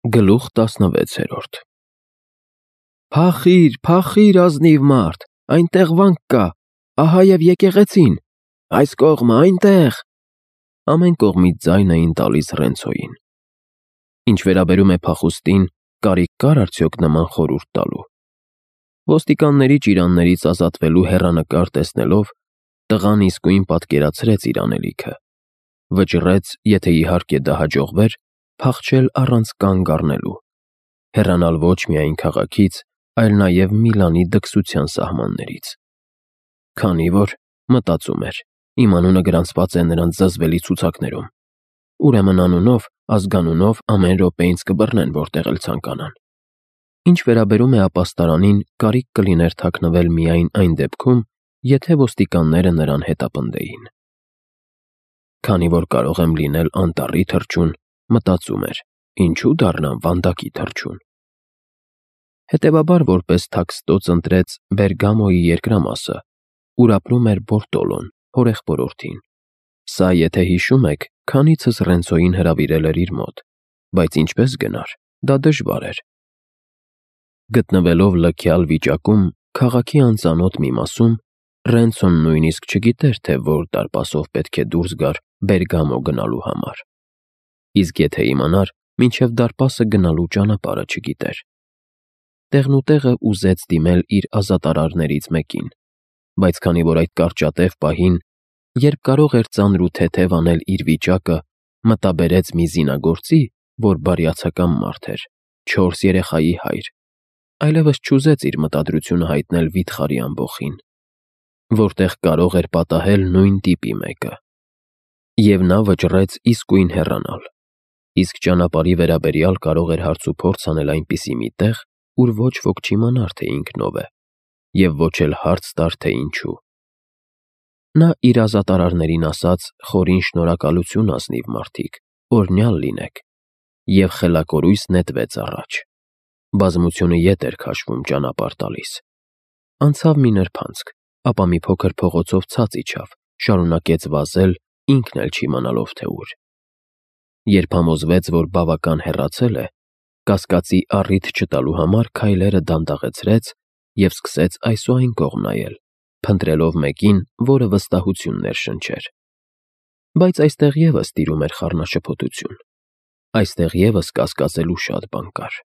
Գլուխ 16 Փախիր, փախիր, ազնիվ մարդ, այնտեղ վանք կա, ահա և եկեղեցին, այս կողմը, այնտեղ։ Ամեն կողմից ձայն էին տալիս Ռենցոյին։ Ինչ վերաբերում է փախուստին, կարիք կար արդյոք նման խորհուրդ տալու։ Ոստիկանների ճիրաններից ազատվելու հեռանկար տեսնելով, տղան իսկույն պատկերացրեց իր անելիքը։ Վճռեց, եթե իհարկե դա հաջողվեր, փախչել առանց կանգ առնելու, հեռանալ ոչ միայն քաղաքից, այլ նաև Միլանի դքսության սահմաններից։ Քանի որ, մտածում էր, իմ անունը գրանցված է նրանց զզվելի ցուցակներում, ուրեմն անունով, ազգանունով ամեն րոպե ինձ կբռնեն, որտեղ էլ ցանկանան։ Ինչ վերաբերում է ապաստարանին, կարիք կլիներ թաքնվել միայն այն դեպքում, եթե ոստիկանները նրան հետապնդեին։ Քանի որ կարող եմ լինել անտառի թռչուն, մտածում էր, ինչու դառնամ վանդակի թռչուն։ Հետևաբար որպես թաքստոց ընտրեց Բերգամոյի երկրամասը, ուր ապրում էր Բորտոլոն, հորեղբորորդին։ Սա, եթե հիշում եք, քանիցս Ռենցոյին հրավիրել էր իր մոտ, բայց ինչպես գնար, դա դժվար էր։ Գտնվելով լքյալ վիճակում, քաղաքի անծանոթ մի մասում, Ռենցոն նույնիսկ չգիտեր, թե որ դարպասով պետք է դուրս գար Բերգամո գնալու համար։ Իսկ եթե իմանար, մինչև դարպասը գնալու ճանապարհը չգիտեր։ Տեղնուտեղը ուզեց դիմել իր ազատարարներից մեկին, բայց քանի որ այդ կարճատև պահին, երբ կարող էր ծանր ու թեթև անել իր վիճակը, մտաբերեց մի զինագործի, որ բարյացակամ մարդ էր, 4 երեխայի հայր, այլևս չուզեց իր մտադրությունը հայտնել վիթխարի ամբոխին, որտեղ կարող էր պատահել նույն տիպի մեկը։ Եվ նա վճռեց իսկույն հեռանալ, իսկ ճանապարհի վերաբերյալ կարող էր հարց ու փորձ անել այնպիսի մի տեղ, ուր ոչ ոք չիմանար, թե ինքնով է, և ոչ էլ հարց տար, թե ինչու։ Նա իր ազատարարներին ասաց խորին շնորհակալություն, ազնիվ մարդիկ, օրհնյալ լինեք, և խելակորույս նետվեց առաջ։ Բազմությունը ետ էր քաշվում ճանապարհ տալիս։ Անցավ մի նրբանցք, ապա մի փոքր փողոցով ցած իջավ, շարունակեց վազել, ինքն էլ չիմանալով, թե ուր։ Երբ համոզվեց, որ բավական հեռացել է, կասկածի առիթ չտալու համար քայլերը դանդաղեցրեց և սկսեց այս ու այն կողմ նայել, փնտրելով մեկին, որը վստահություն ներշնչեր։ Բայց այստեղ ևս տիրում էր խառնաշփոթություն։ Այստեղ ևս կասկածելու շատ բան կար։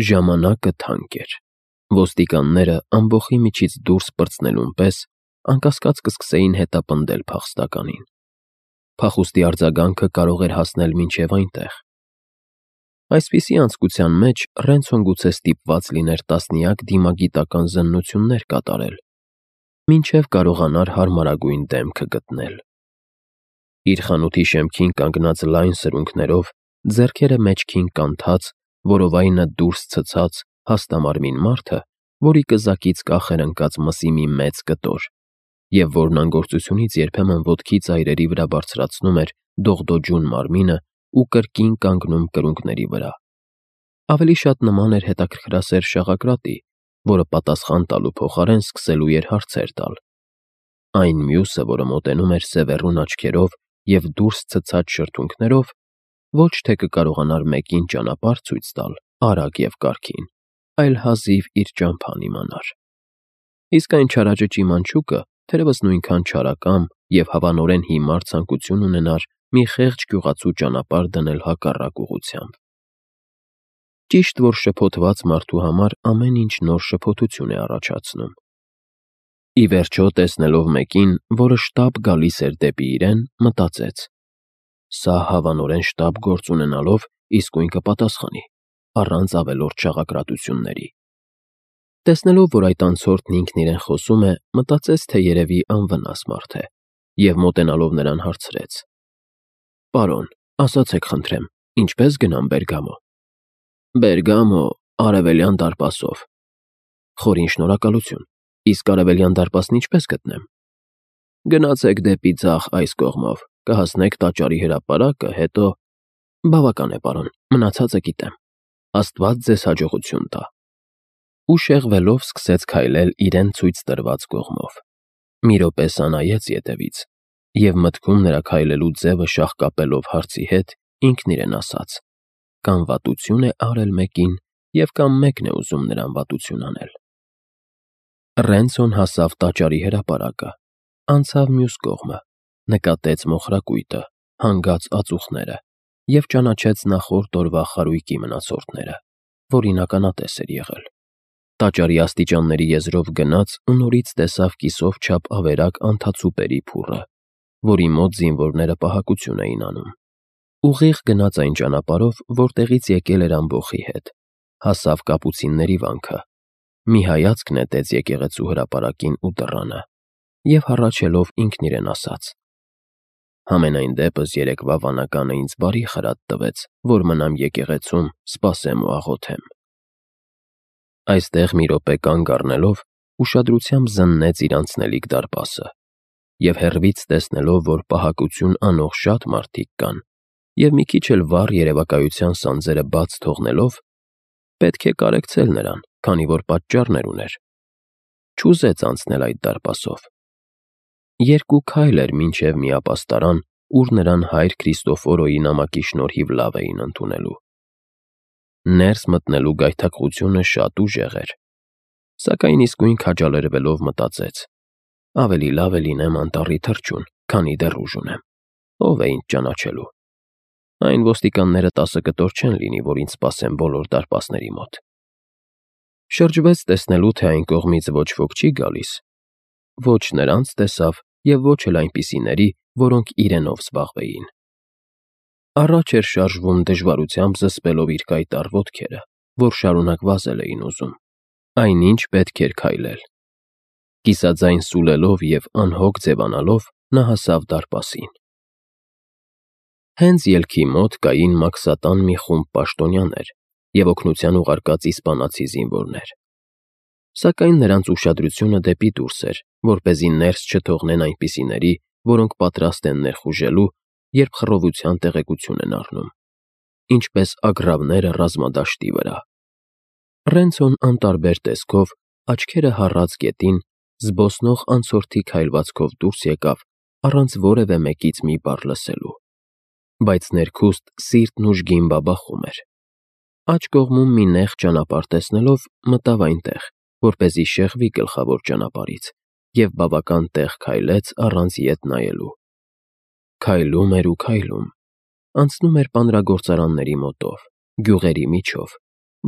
Ժամանակը թանկ էր։ Ոստիկանները ամբոխի միջից դուրս պրծնելուն պես անկասկած կսկսեին հետապնդել փախստականին։ Փախուստի արձագանքը կարող էր հասնել մինչև այնտեղ։ Այսպիսի անցկության մեջ Ռենցոն գուցե ստիպված լիներ տասնյակ դիմագիտական զննություններ կատարել, մինչև կարողանար հարմարագույն դեմքը գտնել։ Իր խանութի շեմքին կանգնած լայն սրունքներով, ձեռքերը մեջքին կանթած, որովայնը դուրս ցցած հաստամարմին մարդը, որի կզակից կախ էր ընկած մսի մի մեծ կտոր, և որն անգործությունից երբեմն ոտքի ծայրերի վրա բարձրացնում էր դողդոջուն մարմինը ու կրկին կանգնում կրունկների վրա։ Ավելի շատ նման էր հետաքրքրասեր շաղակրատի, որը պատասխան տալու փոխարեն սկսելու էր հարցեր տալ։ Այն մյուսը, որը մոտենում էր սևեռուն աչքերով և դուրս ցցած շրթունքներով, ոչ թե կկարողանար մեկին ճանապարհ ցույց տալ, արագ և կարգին, այլ հազիվ իր ճամփան իմանար։ Իսկ այն չարաճճ իմանչուկը թերևս նույնքան չարակամ և հավանորեն հիմար ցանկություն ունենար մի խեղճ գյուղացու ճանապարհ դնել հակառակ ուղղությամբ։ Ճիշտ որ շփոթված մարդու համար ամեն ինչ նոր շփոթություն է առաջացնում։ Ի վերջո, տեսնելով մեկին, որը շտապ գալիս էր դեպի իրեն, մտածեց. սա հավանորեն շտապ գործ ունենալով իսկույն կպատասխանի, առանց ավելորդ շաղակրատությունների։ Տեսնելով, որ այդ անցորդն ինքն իրեն խոսում է, մտածեց, թե երևի անվնաս մարդ է, և մոտենալով նրան հարցրեց. «Պարոն, ասացեք խնդրեմ, ինչպե՞ս գնամ Բերգամո»։ «Բերգամո, Արևելյան դարպասով»։ «Խորին շնորհակալություն, իսկ Արևելյան դարպասն ինչպե՞ս գտնեմ»։ «Գնացեք դեպի ձախ այս կողմով, կհասնեք տաճարի հրապարակը, հետո»։ «Բավական է, պարոն, մնացածը գիտեմ։ Աստված ձեզ հաջողություն տա»։ Ու շեղվելով սկսեց քայլել իրեն ցույց տրված կողմով։ Մի րոպե սա նայեց ետևից, և մտքում նրա քայլելու ձևը շաղկապելով հարցի հետ, ինքն իրեն ասաց. կամ վատություն է արել մեկին, և կամ մեկն է ուզում նրան վատություն անել։ Ռենցոն հասավ տաճարի հրապարակը, անցավ մյուս կողմը, նկատեց մոխրակույտը, հանգած ածուխները և ճանաչեց նախորդ օրվա խարույկի մնացորդները, որին ականատես էր եղել։ Տաճարի աստիճանների եզրով գնաց ու նորից տեսավ կիսով չափ ավերակ անթացուպերի փուռը, որի մոտ զինվորները պահակություն էին անում։ Ուղիղ գնաց այն ճանապարհով, որտեղից եկել էր ամբոխի հետ, հասավ կապուցինների վանքը, մի հայացք նետեց եկեղեցու հրապարակին ու դռանը և հառաչելով ինքն իրեն ասաց. «Համենայն դեպս երեկվա վանականը ինձ բարի խրատ տվեց, որ մնամ եկեղեցում, սպասեմ ու աղոթեմ»։ Այստեղ մի րոպե կանգ առնելով, ուշադրությամբ զննեց իր անցնելիք դարպասը և հեռվից տեսնելով, որ պահակություն անող շատ մարդիկ կան, և մի քիչ էլ վառ երևակայության սանձերը բաց թողնելով, պետք է կարեկցել նրան, քանի որ պատճառներ ուներ, չուզեց անցնել այդ դարպասով։ 2 քայլ էր մինչև մի ապաստարան, ուր նրան հայր Քրիստոֆորոյի նամակի շնորհիվ լավ էին ընդունելու։ Ներս մտնելու գայթակղությունը շատ ուժեղ էր, սակայն իսկույն քաջալերվելով մտածեց. ավելի լավ է լինեմ անտառի թռչուն, քանի դեռ ուժ ունեմ, ով է ինձ ճանաչելու։ Այն ոստիկանները 10 կտոր չեն լինի, որ ինձ սպասեն բոլոր դարպասների մոտ։ Շրջվեց տեսնելու, թե այն կողմից ոչ ոք չի գալիս, ոչ նրանց տեսավ և ոչ էլ այնպիսիների, որոնք իրենով զբաղվեին։ Առաջ էր շարժվում դժվարությամբ զսպելով իր կայտառ ոտքերը, որ շարունակ վազել էին ուզում, այնինչ պետք էր քայլել։ Կիսաձայն սուլելով և անհոգ ձևանալով նա հասավ դարպասին։ Հենց ելքի մոտ կային մաքսատան մի խումբ պաշտոնյաներ և օգնության ուղարկած իսպանացի զինվորներ։ Սակայն նրանց ուշադրությունը դեպի դուրս էր, որպեսզի ներս չթողնեն այնպիսիների, որոնք պատրաստ են ներխուժելու, երբ խռովության տեղեկություն են առնում, ինչպես ագռավները ռազմադաշտի վրա։ Ռենցոն անտարբեր տեսքով, աչքերը հառած գետին, զբոսնող անցորդի քայլվածքով դուրս եկավ, առանց որևէ մեկից մի բառ լսելու։ Բայց ներքուստ սիրտն ուժգին բաբախում էր։ Աջ կողմում մի նեղ ճանապարհ տեսնելով մտավ այնտեղ, որպեսզի շեղվի գլխավոր ճանապարհից, և բավական տեղ քայլեց առանց ետ նայելու։ Քայլում էր ու քայլում, անցնում էր պանրագործարանների մոտով, գյուղերի միջով,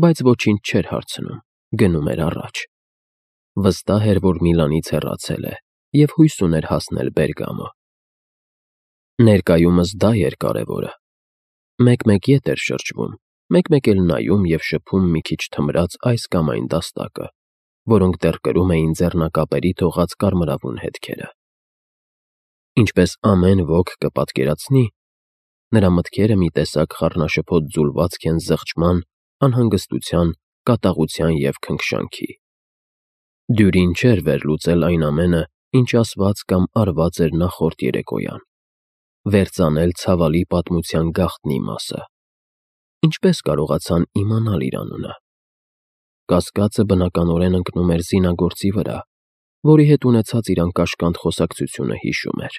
բայց ոչինչ չէր հարցնում, գնում էր առաջ։ Վստահ էր, որ Միլանից հեռացել է և հույս ուներ հասնել Բերգամո։ Ներկայումս դա էր կարևորը։ Մեկ-մեկ ետ էր շրջվում, մեկ-մեկ էլ նայում և շփում մի քիչ թմրած այս կամ այն դաստակը, որոնք դեռ կրում էին ձեռնակապերի թողած կարմրավուն հետքերը։ Ինչպես ամեն ոք կպատկերացնի, նրա մտքերը մի տեսակ խառնաշփոթ ձուլվածք են զղջման, անհանգստության, կատաղության և քնքշանքի։ Դյուրին չէր վերլուծել այն ամենը, ինչ ասված կամ արված էր նախորդ երեկոյան, վերծանել ցավալի պատմության գաղտնի մասը։ Ինչպես կարողացան իմանալ իր անունը։ Կասկածը բնականորեն ընկնում էր զինագործի վրա, որի հետ ունեցած իր անկաշկանդ խոսակցությունը հիշում էր։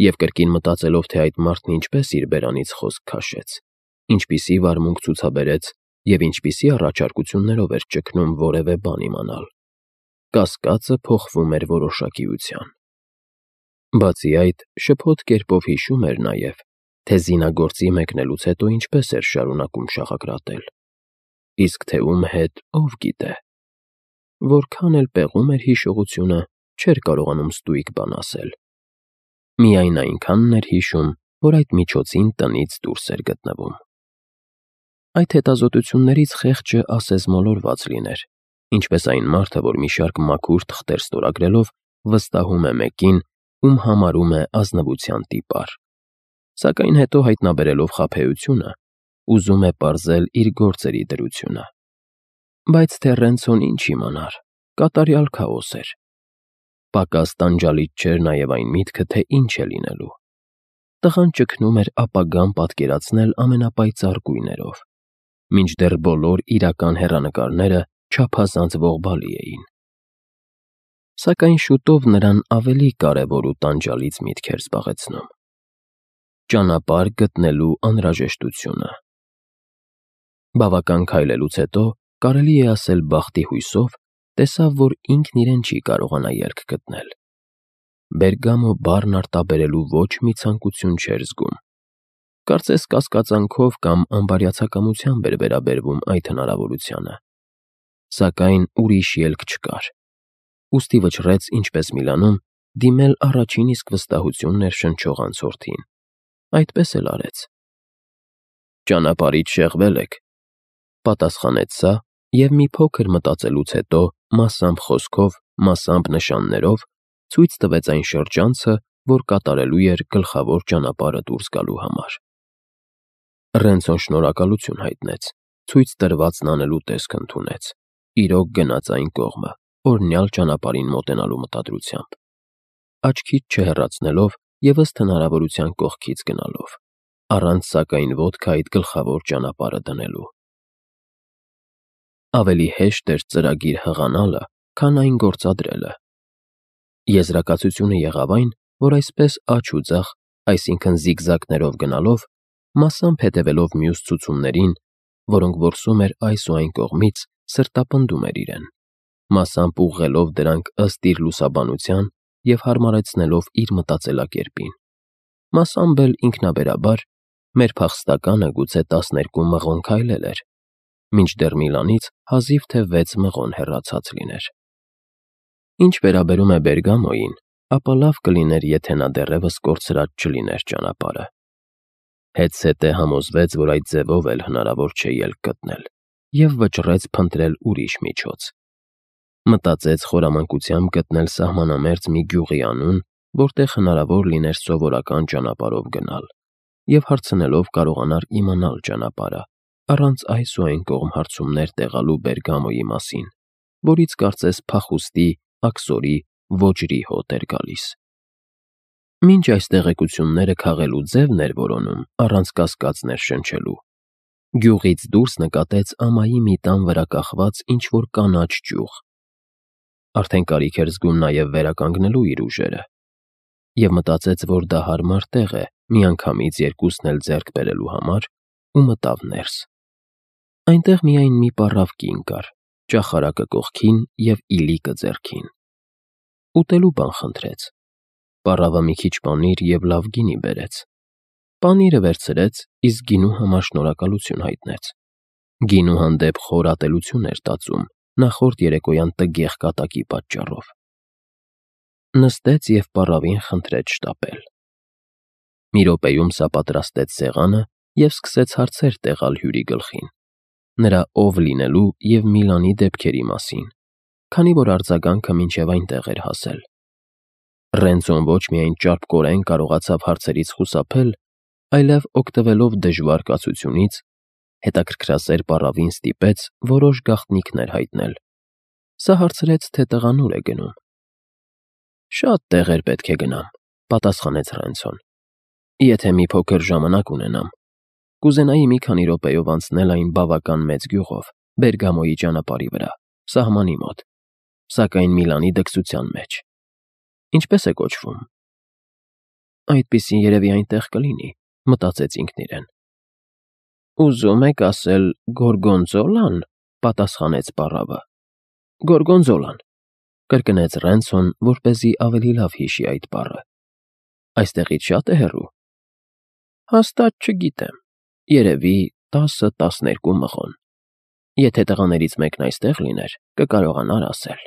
Եվ կրկին մտածելով, թե այդ մարդն ինչպես իր բերանից խոսք քաշեց, ինչպիսի վարմունք ցուցաբերեց և ինչպիսի առաջարկություններով էր ճգնում որևէ բան իմանալ, կասկածը փոխվում էր որոշակիության։ Բացի այդ, շփոթ կերպով հիշում էր նաև, թե զինագործի մեկնելուց հետո ինչպես էր շարունակում շաղակրատել, իսկ թե ում հետ, ով գիտե։ Որքան էլ պեղում էր հիշողությունը, չէր կարողանում ստույգ բան ասել։ Միայն այնքանն էր հիշում, որ այդ միջոցին տնից դուրս էր գտնվում։ Այդ հետազոտություններից խեղճը ասես մոլորված լիներ, ինչպես այն մարդը, որ մի շարք մաքուր թղթեր ստորագրելով վստահում է մեկին, ում համարում է ազնվության տիպար, սակայն հետո հայտնաբերելով խաբեությունը, ուզում է պարզել իր գործերի դրությունը։ Բայց թե Ռենցոն ինչ իմանար, կատարյալ քաոս էր։ Պակաս տանջալից չէր նաև այն միտքը, թե ինչ է լինելու։ Տղան ճգնում էր ապագան պատկերացնել ամենապայծառ գույներով, մինչդեռ բոլոր իրական հեռանկարները չափազանց ողբալի էին։ Սակայն շուտով նրան ավելի կարևոր ու տանջալից միտք էր զբաղեցնում. ճանապարհ գտնելու անհրաժեշտությունը։ Բավական քայլելուց հետո, կարելի է ասել բախտի հույսով, տեսավ, որ ինքն իրեն չի կարողանա ելք գտնել։ Բերգամո բառն արտաբերելու ոչ մի ցանկություն չէր զգում։ Կարծես կասկածանքով կամ անբարյացակամությամբ էր վերաբերվում այդ հնարավորությանը։ Սակայն ուրիշ ելք չկար։ Ուստի վճռեց, ինչպես Միլանում, դիմել առաջին իսկ վստահություն ներշնչող անցորդին։ Այդպես էլ արեց։ «Ճանապարհից շեղվել եք», պատասխանեց սա և մի փոքր մտածելուց հետո, մասամբ խոսքով, մասամբ նշաններով, ցույց տվեց այն շրջանցը, որ կատարելու էր գլխավոր ճանապարհը դուրս գալու համար։ Ռենցոն շնորհակալություն հայտնեց, ցույց տրվածն անելու տեսք ընդունեց, իրոք գնաց այն կողմը, օրհնյալ ճանապարհին մոտենալու մտադրությամբ, աչքից չհեռացնելով և ըստ հնարավորության կողքից գնալով, առանց սակայն ոտքը այդ գլխավոր ճանապարհը դնելու։ Ավելի հեշտ էր ծրագիր հղանալը, քան այն գործադրելը։ Եզրակացությունը եղավ այն, որ այսպես աջ ու ձախ, այսինքն զիգզագներով գնալով, մասամբ հետևելով մյուս ցուցումներին, որոնք որսում էր այս ու այն կողմից, սրտապնդում էր իրեն, մասամբ ուղղելով դրանք ըստ իր լուսաբանության և հարմարեցնելով իր մտածելակերպին, մասամբ էլ ինքնաբերաբար, մեր փախստականը գուցե 12 մղոն քայլել էր, մինչդեռ Միլանից հազիվ թե 6 մղոն հեռացած լիներ։ Ինչ վերաբերում է Բերգամոյին, ապա լավ կլիներ, եթե նա դեռևս կորցրած չլիներ ճանապարհը։ Հետզհետե համոզվեց, որ այդ ձևով էլ հնարավոր չէ ելք գտնել, և վճռեց փնտրել ուրիշ միջոց։ Մտածեց խորամանկությամբ գտնել սահմանամերձ մի գյուղի անուն, որտեղ հնարավոր լիներ սովորական ճանապարհով գնալ, և հարցնելով կարողանար իմանալ ճանապարհը, առանց այս ու այն կողմ հարցումներ տեղալու Բերգամոյի մասին, որից կարծես փախուստի, աքսորի, ոճրի հոտ էր գալիս։ Մինչ այս տեղեկությունները քաղելու ձևն էր որոնում, առանց կասկած ներշնչելու, գյուղից դուրս նկատեց ամայի մի տան վրա կախված ինչ-որ կանաչ ճյուղ։ Արդեն կարիք էր զգում նաև վերականգնելու իր ուժերը, և մտածեց, որ դա հարմար տեղ է միանգամից երկուսն էլ ձեռք բերելու համար, ու մտավ ներս։ Այնտեղ միայն մի պառավ կին կար, ճախարակը կողքին և իլիկը ձեռքին։ Ուտելու բան խնդրեց։ Պառավը մի քիչ պանիր և լավ գինի բերեց։ Պանիրը վերցրեց, իսկ գինու համար շնորհակալություն հայտնեց։ Գինու հանդեպ խոր ատելություն էր տածում նախորդ երեկոյան տգեղ կատակի պատճառով։ Նստեց և պառավին խնդրեց շտապել։ Մի րոպեում սա պատրաստեց սեղանը և սկսեց հարցեր տեղալ հյուրի գլխին, նրա ով լինելու և Միլանի դեպքերի մասին, քանի որ արձագանքը մինչև այնտեղ էր հասել։ Ռենցոն ոչ միայն ճարպկորեն կարողացավ հարցերից խուսափել, այլև օգտվելով դժվար կացությունից, հետաքրքրասեր պառավին ստիպեց որոշ գաղտնիքներ հայտնել։ Սա հարցրեց, թե տղան ուր է գնում։ «Շատ տեղեր պետք է գնամ», պատասխանեց Ռենցոն։ «Եթե մի փոքր ժամանակ ունենամ, կուզենայի մի քանի րոպեով անցնել այն բավական մեծ գյուղով, Բերգամոյի ճանապարհի վրա, սահմանի մոտ, սակայն Միլանի դքսության մեջ։ Ինչպե՞ս է կոչվում»։ «Այդպիսին երևի այնտեղ կլինի», մտածեց ինքն իրեն։ «Ուզում եք ասել Գորգոնզոլա՞ն», պատասխանեց պառավը։ «Գորգոնզոլան», կրկնեց Ռենցոն, որպեսզի ավելի լավ հիշի այդ բառը։ «Այստեղից շա՞տ է հեռու»։ «Հաստատ չգիտեմ, երևի 10-12 մղոն։ Եթե տղաներից մեկն այստեղ լիներ, կկարողանար ասել»։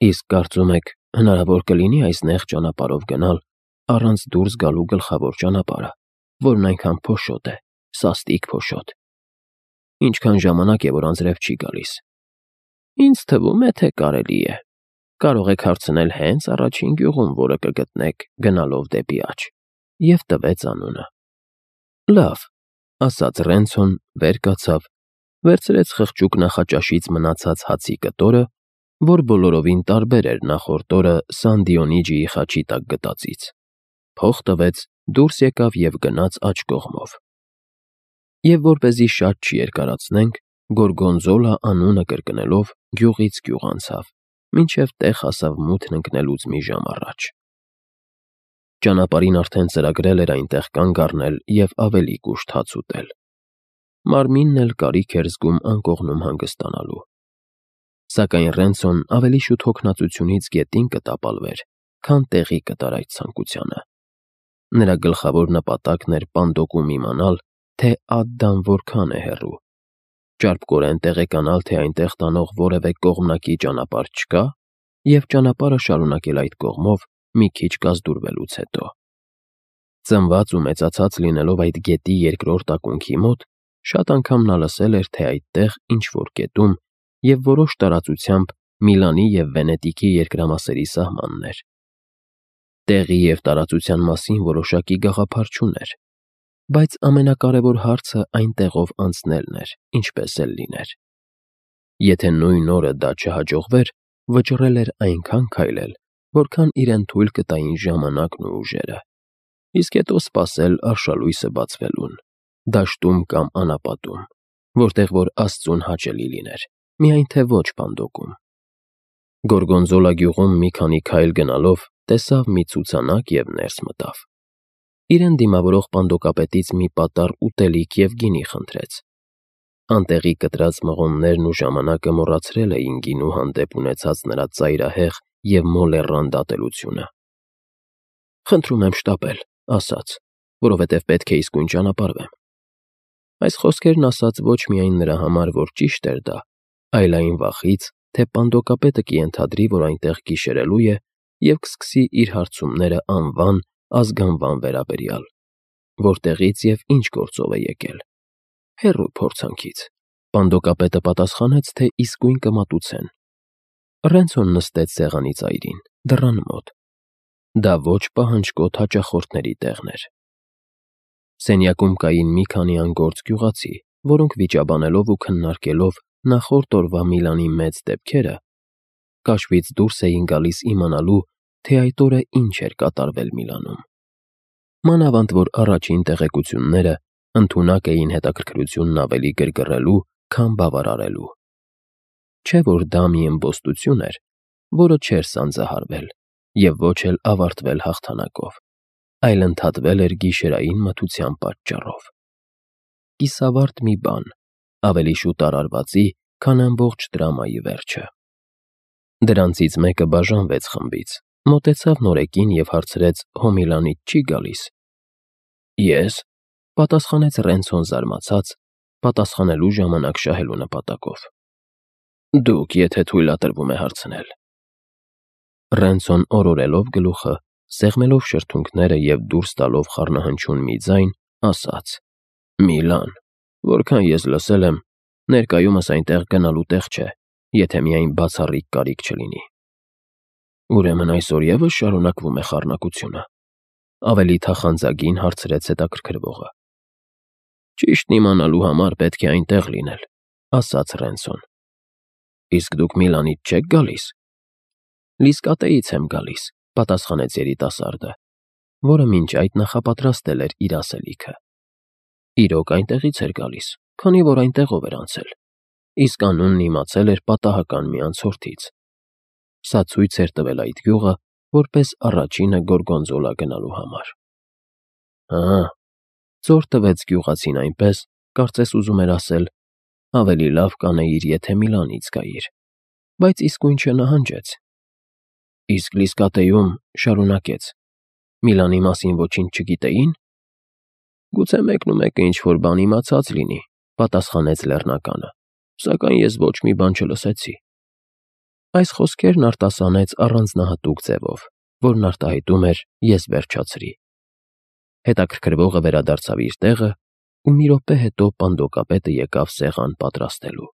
«Իսկ կարծում եք, հնարավոր կլինի այս նեղ ճանապարհով գնալ, առանց դուրս գալու գլխավոր ճանապարհը, որն այնքան փոշոտ է, սաստիկ փոշոտ։ Ինչքան ժամանակ է, որ անձրև չի գալիս»։ «Ինձ թվում է, թե կարելի է։ Կարող եք հարցնել հենց առաջին գյուղում, որը կգտնեք գնալով դեպի աջ», և տվեց անունը։ «Լավ», ասաց Ռենցոն, վեր կացավ, վերցրեց խղճուկ նախաճաշից մնացած հացի կտորը, որ բոլորովին տարբեր էր նախորդ օրը Սան Դիոնիջիի խաչի տակ գտածից, փող տվեց, դուրս եկավ և գնաց աջ կողմով։ Եվ որպեսզի շատ չերկարացնենք, Գորգոնզոլա անունը կրկնելով գյուղից գյուղ անցավ, մինչև տեղ հասավ մութն ընկնելուց մի ժամ առաջ։ Ճանապարհին արդեն ծրագրել էր այնտեղ կանգ առնել և ավելի կուշտ հաց ուտել։ մարմինն էլ կարիք էր զգում անկողնում հանգստանալու։ Սակայն Ռենցոն ավելի շուտ հոգնածությունից գետին կտապալվեր, քան տեղի կտար այդ ցանկությանը։ Նրա գլխավոր նպատակն էր Պանդոկում իմանալ, թե Ադդան որքան է հեռու, ճարպկորեն տեղեկանալ, թե այնտեղ տանող որևէ կողմնակի ճանապարհ չկա, և ճանապարհը շարունակել այդ կողմով մի քիչ կազդուրվելուց հետո։ Ծնված ու մեծացած լինելով այդ գետի երկրորդ ակունքի մոտ, շատ անգամ նա լսել էր, թե այդտեղ, ինչ-որ կետում և որոշ տարածությամբ Միլանի և Վենետիկի երկրամասերի սահմանն էր։ Տեղի և տարածության մասին որոշակի գաղափար չուներ, բայց ամենակարևոր հարցը այն տեղով անցնելն էր, ինչպես էլ լիներ։ Եթե նույն օրը դա չհաջողվեր, վճռել էր այնքան քայլել, որքան իրեն թույլ կտային ժամանակն ու ուժերը, իսկ հետո սպասել արշալույսը բացվելուն, դաշտում կամ անապատում, որտեղ որ Աստծուն հաճելի լիներ, միայն թե ոչ Պանդոկում։ Գորգոնզոլա գյուղում մի քանի քայլ գնալով տեսավ մի ցուցանակ և ներս մտավ։ Իրեն դիմավորող պանդոկապետից մի պատառ ուտելիք և գինի խնդրեց։ Անտեղի կտրած մղոններն ու ժամանակը մոռացրել էին գինու հանդեպ ունեցած նրա ծայրահեղ և մոլեռանդ ատելությունը։ «Խնդրում եմ շտապել», ասաց, որովհետև պետք է իսկույն ճանապարհվեմ։ Այս խոսքերն ասաց ոչ միայն նրա համար, որ ճիշտ էր դա, այլ այն վախից, թե պանդոկապետը կենթադրի, որ այնտեղ գիշերելու է և կսկսի իր հարցումները անվան, ազգանվան վերաբերյալ, որտեղից և ինչ գործով է եկել։ Հեռու փորձանքից։ Պանդոկապետը պատասխանեց, թե իսկույն կմատուցեն։ Ռենցոն նստեց սեղանի ծայրին, դռան մոտ։ Դա ոչ պահանջկոտ հաճախորդների տեղն էր։ Սենյակում կային մի քանի անգործ գյուղացի, որոնք վիճաբանելով ու քննարկելով նախորդ օրվա Միլանի մեծ դեպքերը, կաշվից դուրս էին գալիս իմանալու, թե այդ օրը ինչ էր կատարվել Միլանում։ Մանավանդ որ առաջին տեղեկությունները ընդունակ էին հետաքրքրությունն ավելի գրգռելու, քան բավարարելու։ Չէ՞ որ դա մի ըմբոստություն էր, որը չէր սանձահարվել և ոչ էլ ավարտվել հաղթանակով, այլ ընդհատվել էր գիշերային մթության պատճառով։ Կիսավարտ մի բան, ավելի շուտ արարվածի, քան ամբողջ դրամայի վերջը։ Դրանցից մեկը բաժանվեց խմբից, մոտեցավ Նորեկին և հարցրեց Հոմիլանից չի՞ գալիս։ Ես, պատասխանեց Ռենցոն զարմացած, պատասխանելու ժամանակ շահելու նպատակով։ Դուք, եթե թույլատրվում է հարցնել։ Ռենցոն օրորելով գլուխը, սեղմելով շրթունքները և դուրս տալով խառնահնչյուն մի ձայն, ասաց. Միլան, որքան ես լսել եմ, ներկայումս այնտեղ գնալու տեղ չէ, եթե միայն բացառիկ կարիք չլինի։ Ուրեմն այսօր ևս շարունակվում է խառնակությունը, ավելի թախանձագին հարցրեց հետաքրքրվողը։ Ճիշտն իմանալու համար պետք է այնտեղ լինել, ասաց Ռենցոն։ Իսկ դուք Միլանից չեք գալիս։ Լիսկատեից եմ գալիս, պատասխանեց երիտասարդը, որը մինչ այդ նախապատրաստել էր իր ասելիքը։ Իրոք այնտեղից էր գալիս, քանի որ այնտեղով էր անցել, իսկ անունն իմացել էր պատահական մի անցորդից։ Սա ցույց էր տվել այդ գյուղը որպես առաջինը Գորգոնզոլա գնալու համար։ Հա, ծոր տվեց գյուղացին այնպես, կարծես ուզում էր ասել. ավելի լավ կանեիր, եթե Միլանից գայիր, բայց իսկույն չնահանջեց։ Իսկ Լիսկատեում շարունակեց. Միլանի մասին ոչինչ չգիտեին։ Գուցե մեկնումեկը ինչ-որ բան իմացած լինի, պատասխանեց լեռնականը, սակայն ես ոչ մի բան չլսեցի։ Այս խոսքերն արտասանեց առանձնահատուկ ձևով, որն արտահայտում էր ես վերջացրի։ Հետաքրքրվողը վերադարձավ իր տեղը, ու մի րոպե հետո պանդոկապետը եկավ սեղան պատրաստելու։